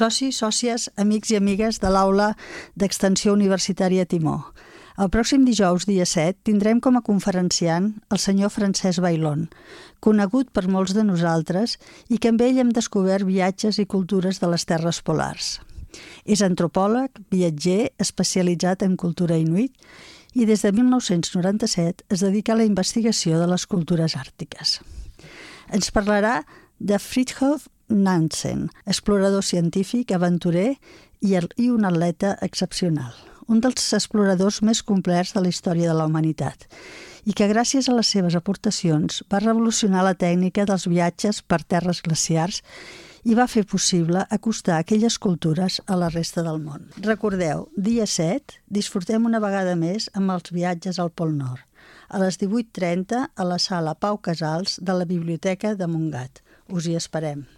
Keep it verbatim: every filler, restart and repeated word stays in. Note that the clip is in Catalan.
Socis, sòcies, amics i amigues de l'Aula d'Extensió Universitària Timó. El pròxim dijous, dia set, tindrem com a conferenciant el senyor Francesc Bailón, conegut per molts de nosaltres i que amb ell hem descobert viatges i cultures de les terres polars. És antropòleg, viatger, especialitzat en cultura inuit i des de mil nou-cents noranta-set es dedica a la investigació de les cultures àrtiques. Ens parlarà de Fridtjof Nansen, explorador científic, aventurer i un atleta excepcional. Un dels exploradors més complets de la història de la humanitat i que gràcies a les seves aportacions va revolucionar la tècnica dels viatges per terres glaciars i va fer possible acostar aquelles cultures a la resta del món. Recordeu, dia set, disfrutem una vegada més amb els viatges al Pol Nord, a les divuit trenta a la sala Pau Casals de la Biblioteca de Montgat. Us hi esperem.